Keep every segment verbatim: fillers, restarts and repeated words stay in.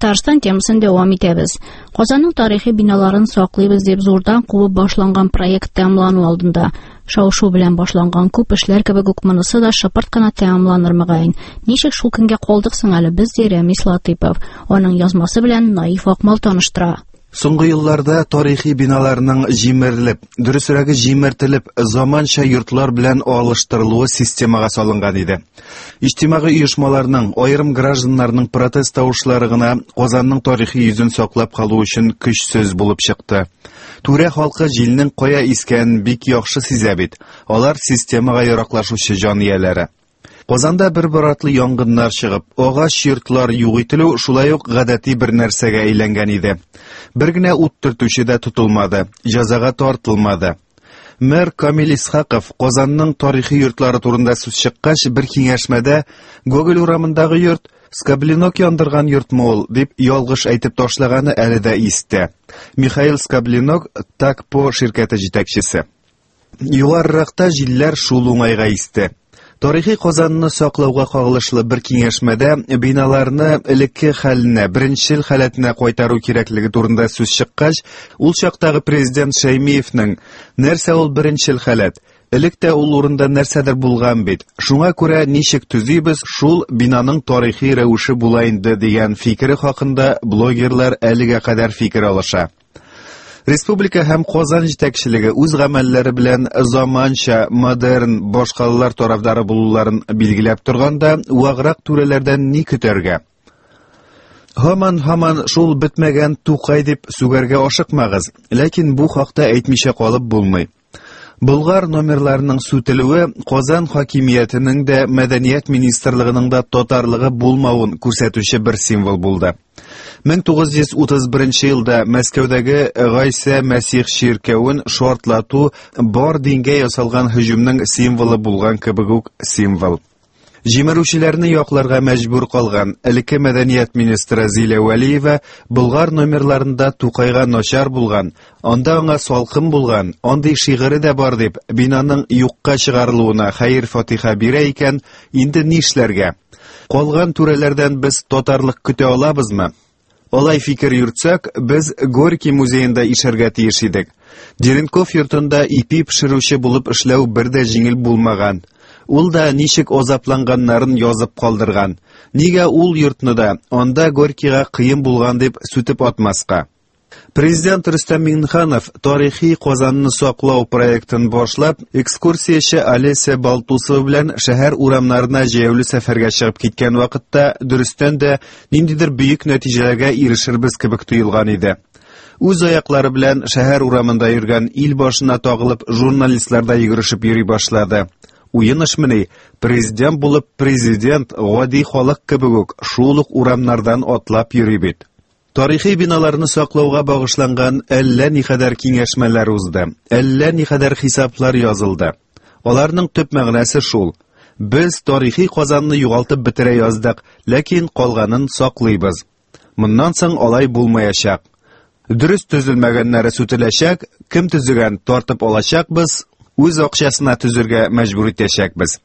Татарстан темасын дәвам итәбез. Казанның тарихи биналарын саклыйбыз дип зурдан кубып башланган проект тәмамлану алдында. Шау-шу белән башланган күп эшләр кебек үк монысы да шыпырт кына тәмамланыр мөгаен. Ничек шул көнгә калдык соң әле без, ди Рәмис Латыйпов. Аның язмасы белән Наиф Акмал таныштыра. Соңгы елларда тарихи биналарның җимерелеп, дөресрәге җимертелеп, заманча йортлар белән алыштырылуы системага салынган иде. Иҗтимагый оешмаларның, аерым гражданнарның протест тавышлары гына Казанның тарихи йөзен саклап калу өчен көчсез булып чыкты. Түрә халкы җилнең кая искәнен бик яхшы сизә бит. Алар системага яраклашучы җан ияләре. Казанда бер-бер артлы янгыннар чыгып, агач йортлар юк ителү шулай ук гадәти бер нәрсәгә әйләнгән иде. Бер генә ут төртүче дә тотылмады, җәзага тартылмады. Мэр Камил Исхаков Казанның тарихи йортлары турында сүз чыккач, бер киңәшмәдә Гоголь урамындагы йорт Скоблинок яндырган йортмы ул дип ялгыш әйтеп ташлаганы әле дә истә. Михаил Скоблинок Такпо ширкәте җитәкчесе. Югарыракта җилләр шул уңайга исте. Тарихи Казанны саклауга кагылышлы бер киңәшмәдә биналарны элекке хәленә, беренчел халәтенә кайтару кирәклеге турында сүз чыккач, ул чактагы президент Шәймиевнең нәрсә ул беренчел халәт? Элек тә ул урында нәрсәдер булган бит. Шуңа күрә ничек төзибез, шул бинаның тарихи рәвеше була инде дигән фикере хакында блогерлар әлегә кадәр фикер алыша. Республика һәм Казан җитәкчелеге үз гамәлләре белән заманча, модерн башкалалар тарафдары булуларын билгеләп торганда, ваграк түрәләрдән ни көтәргә? Һаман-һаман шул бетмәгән Тукай дип сүгәргә ашыкмагыз, ләкин бу хакта әйтмичә калып булмый. Болгар номерларының сүтелүе Казан хакимиятенең дә, Мәдәният министрлыгының да татарлыгы булмавын күрсәтүче бер символ булды. мең тугыз йөз утыз беренче елда Мәскәүдәге Гайсә Мәсих чиркәвен шартлату бар дингә ясалган һөҗүмнең символы булган кебек үк символ. Җимерүчеләрне якларга мәҗбүр калган элекке мәдәният министры Зилә Вәлиева Болгар номерларында Тукайга начар булган, анда аңа салкын булган, андый шигыре дә бар дип бинаның юкка чыгарылуына хәер-фатиха бирә икән, инде нишләргә? Калган түрәләрдән без татарлык көтә алабызмы? Алай фикер йөртсәк, без Горький музеенда ишәргә тиеш идек. Деренков йортында ипи пешерүче булып эшләү бер дә җиңел булмаган. Ул да ничек азапланганнарын язып калдырган. Нигә ул йортны да анда Горькийга кыен булган дип сүтеп атмаска? Президент Рөстәм Миңнеханов тарихи Казанны саклау проектын башлап, экскурсияче Олеся Балтусова белән шәһәр урамнарына җәяүле сәфәргә чыгып киткән вакытта дөрестән дә ниндидер бөек нәтиҗәләргә ирешербез кебек тоелган иде. Үз аяклары белән шәһәр урамында йөргән ил башына тагылып журналистлар да йөгерешеп йөри башлады. Уен эшмени, президент булып президент гади халык кебек үк шул ук урамнардан атлап йөри бит. Тарихи биналарны саклауга багышланган әллә никадәр киңәшмәләр узды, әллә никадәр хисаплар язылды. Аларның төп мәгънәсе шул: без тарихи Казанны югалтып бетерә яздык, ләкин калганын саклыйбыз. Моннан соң алай булмаячак. Дөрес төзелмәгәннәре сүтеләчәк, кем төзегән тартып алачакбыз, үз акчасына төзергә мәҗбүр итәчәкбез.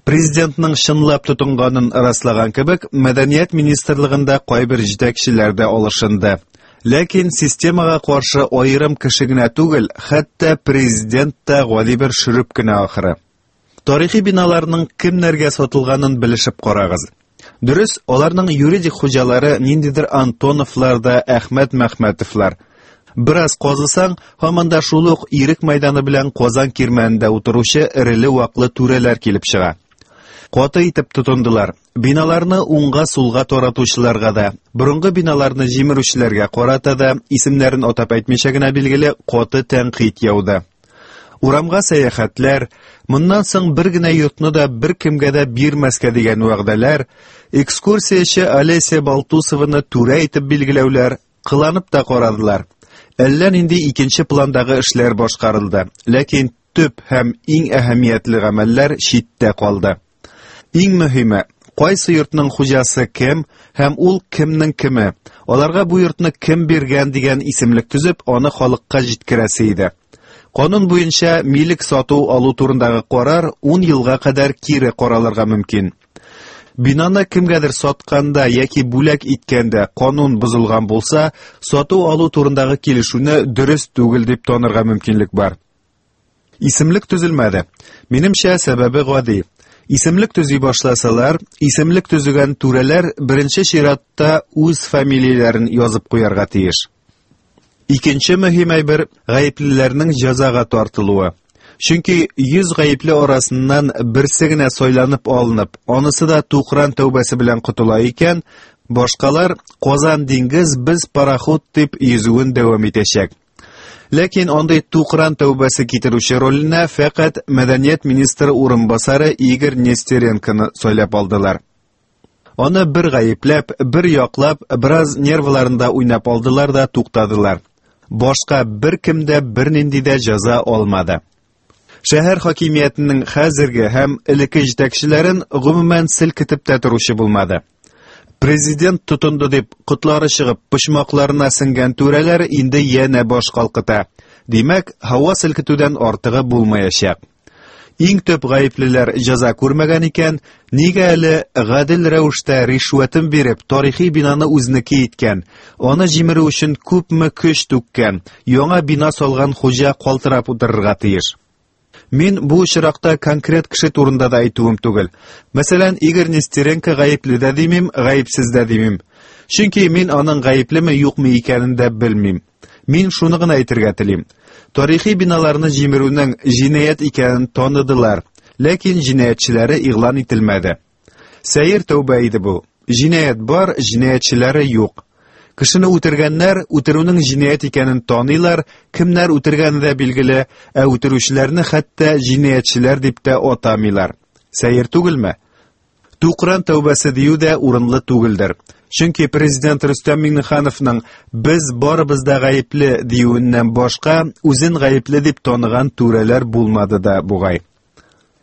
Президентның чынлап тотынганын раслаган кебек, Мәдәният министрлыгында кайбер җитәкчеләр дә алышынды. Ләкин системага каршы аерым кеше генә түгел, хәтта президент та гади бер шөреп кенә ахыры. Тарихи биналарның кемнәргә сатылганын белешеп карагыз. Дөрес, аларның юридик хуҗалары ниндидер Антоновлар да Әхмәт Мәхмәтовлар. Бераз казысаң, һаман да шул ук Ирек мәйданы белән Казан кирмәнендә утыручы эреле-ваклы түрәләр килеп чыга. Каты итеп тотындылар. Биналарны уңга-сулга таратучыларга да, борынгы биналарны җимерүчеләргә карата да, исемнәрен атап әйтмичә генә билгеле, каты тәнкыйть яуды. Урамга сәяхәтләр, моннан соң бер генә йортны да бер кемгә дә бирмәскә дигән вәгъдәләр, экскурсияче Олеся Балтусованы түрә итеп билгеләүләр, кыланып та карадылар. Әллә нинди икенче пландагы эшләр башкарылды, ләкин төп һәм иң әһәмиятле гамәлләр читтә калды. Иң мөһиме, кайсы йортның хуҗасы кем һәм ул кемнең кеме, аларга бу йортны кем биргән дигән исемлек төзеп, аны халыкка җиткерәсе иде. Канун буенча милек сату алу турындагы карар ун елга кадәр кире каралырга мөмкин. Бинаны кемгәдер сатканда яки бүләк иткәндә канун бозылган булса, сату-алу турындагы килешүне дөрес түгел дип танырга мөмкинлек бар. Исемлек төзелмәде. Минемчә, сәбәбе гади. Исемлек төзи башласалар, исемлек төзегән түрәләр беренче чиратта үз фамилияләрен язып куярга тиеш. Икенче мөһим әйбер гаеплеләрнең җәзага тартылуы. Чөнки йөз гаепле арасыннан берсе генә сайланып алынып, анысы да тукран тәүбәсе белән котыла икән, башкалар Казан диңгез без пароход дип йөзүен дәвам итәчәк. Ләкин андый тукран тәүбәсе китерүче роленә фәкать мәдәният министры урынбасары Игорь Нестеренконы сайлап алдылар. Аны бер гаепләп, бер яклап, бераз нервларында уйнап алдылар да туктадылар. Башка беркем дә бернинди дә җәза алмады. Шәһәр хакимиятенең хәзерге һәм элекке җитәкчеләрен гомумән селкетеп тә торучы булмады. Президент тотынды дип котлары чыгып почмакларына сеңгән түрәләр инде янә баш калкыта. Димәк, һава селкетүдән артыгы булмаячак. Иң төп гаеплеләр җәза күрмәгән икән, нигә әле гадел рәвештә ришвәтен биреп тарихи бинаны үзенеке иткән, аны җимерү өчен күпме көч түккән, яңа бина салган хуҗа калтырап утырырга тиеш? Мин бу очракта конкрет кеше турында да әйтүем түгел. Мәсәлән, Игорь Нестеренко гаепле дә димим, гаепсез дә димим. Чөнки мин аның гаеплеме юкмы икәнен дә белмим. Мин шуны гына әйтергә телим. Тарихи биналарны җимерүнең җинаять икәнен таныдылар, ләкин җинаятьчеләре игълан ителмәде. Сәер тәүбә иде бу. Җинаять бар, җинаятьчеләре юк. Кешене үтергәннәр үтерүнең җинаять икәнен таныйлар, кемнәр үтергәне дә билгеле, ә үтерүчеләрне хәтта җинаятьчеләр дип тә атамыйлар. Сәер түгелме? Тукран тәүбәсе дию дә урынлы түгелдер. Чөнки президент Рөстәм Миңнехановның без барыбыз да гаепле диюеннән башка үзен гаепле дип таныган түрәләр булмады да бугай.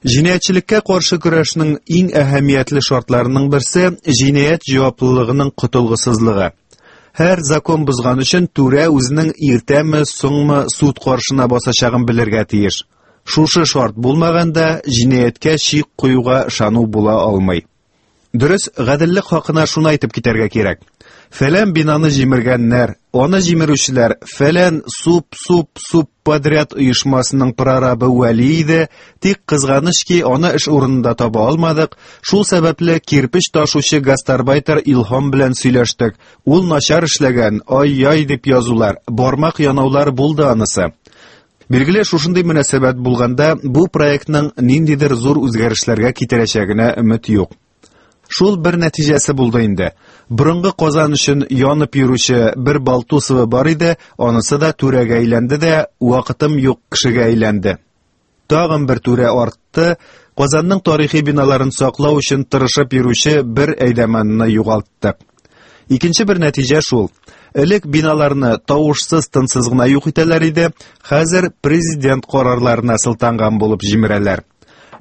Җинаятьчелеккә каршы көрәшнең иң әһәмиятле шартларының берсе җинаять җаваплылыгының котылгысызлыгы. Һәр закон бозган өчен түрә үзенең иртәме, соңмы суд каршына басачагын белергә тиеш. Шушы шарт булмаганда җинаятькә чик куюга ышану була алмый. Дөрес, гаделлек хакына шуны әйтеп китәргә кирәк. Фәлән бинаны җимергәннәр, аны җимерүчеләр фәлән суп-суп-суп подряд оешмасының прорабы Вәли иде, тик кызганыч ки, аны эш урынында таба алмадык. Шул сәбәпле кирпеч ташучы гастарбайтер Илһам белән сөйләштек. Ул начар эшләгән, ай-яй дип язулар, бармак янаулар булды анысы. Билгеле, шушындый мөнәсәбәт булганда бу проектның ниндидер зур үзгәрешләргә китерәчәгенә өмет юк. Шул бер нәтиҗәсе булды инде. Борынгы Казан өчен янып йөрүче бер Балтусова бар иде, анысы да түрәгә әйләнде дә, вакытым юк кешегә әйләнде. Тагын бер түрә артты, Казанның тарихи биналарын саклау өчен тырышып йөрүче бер әйдәмәнне югалттык. Икенче бер нәтиҗә шул. Элек биналарны тавышсыз, тынсыз гына юк итәләр иде, хәзер президент карарларына сылтанган булып җимерәләр.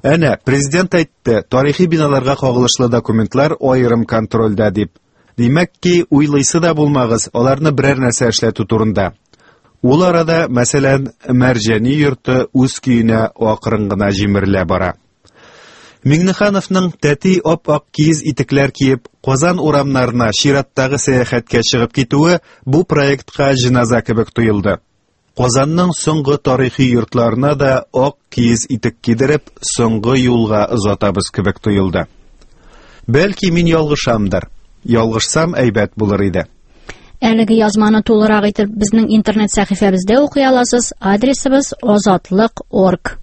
Әнә, президент әйтте, тарихи биналарга кагылышлы документлар аерым контрольдә дип. Димәк ки, уйлыйсы да булмагыз, аларны берәр нәрсә эшләтү турында. Ул арада, мәсәлән, Мәрҗани йорты үз көенә акрын гына җимерелә бара. Миңнехановның тәти ап-ак киез итекләр киеп, Казан урамнарына чираттагы сәяхәткә чыгып китүе бу проектка җеназа кебек тоелды. Казанның соңгы тарихи йортларына да ак киез итек кидереп, соңгы юлга озатабыз кебек тоелды. Бәлки мин ялгышамдыр. Ялгышсам әйбәт булыр иде. Әлеге язманы тулырак итеп безнең интернет сәхифәбездә укый аласыз. Адресыбыз озатлык точка орг.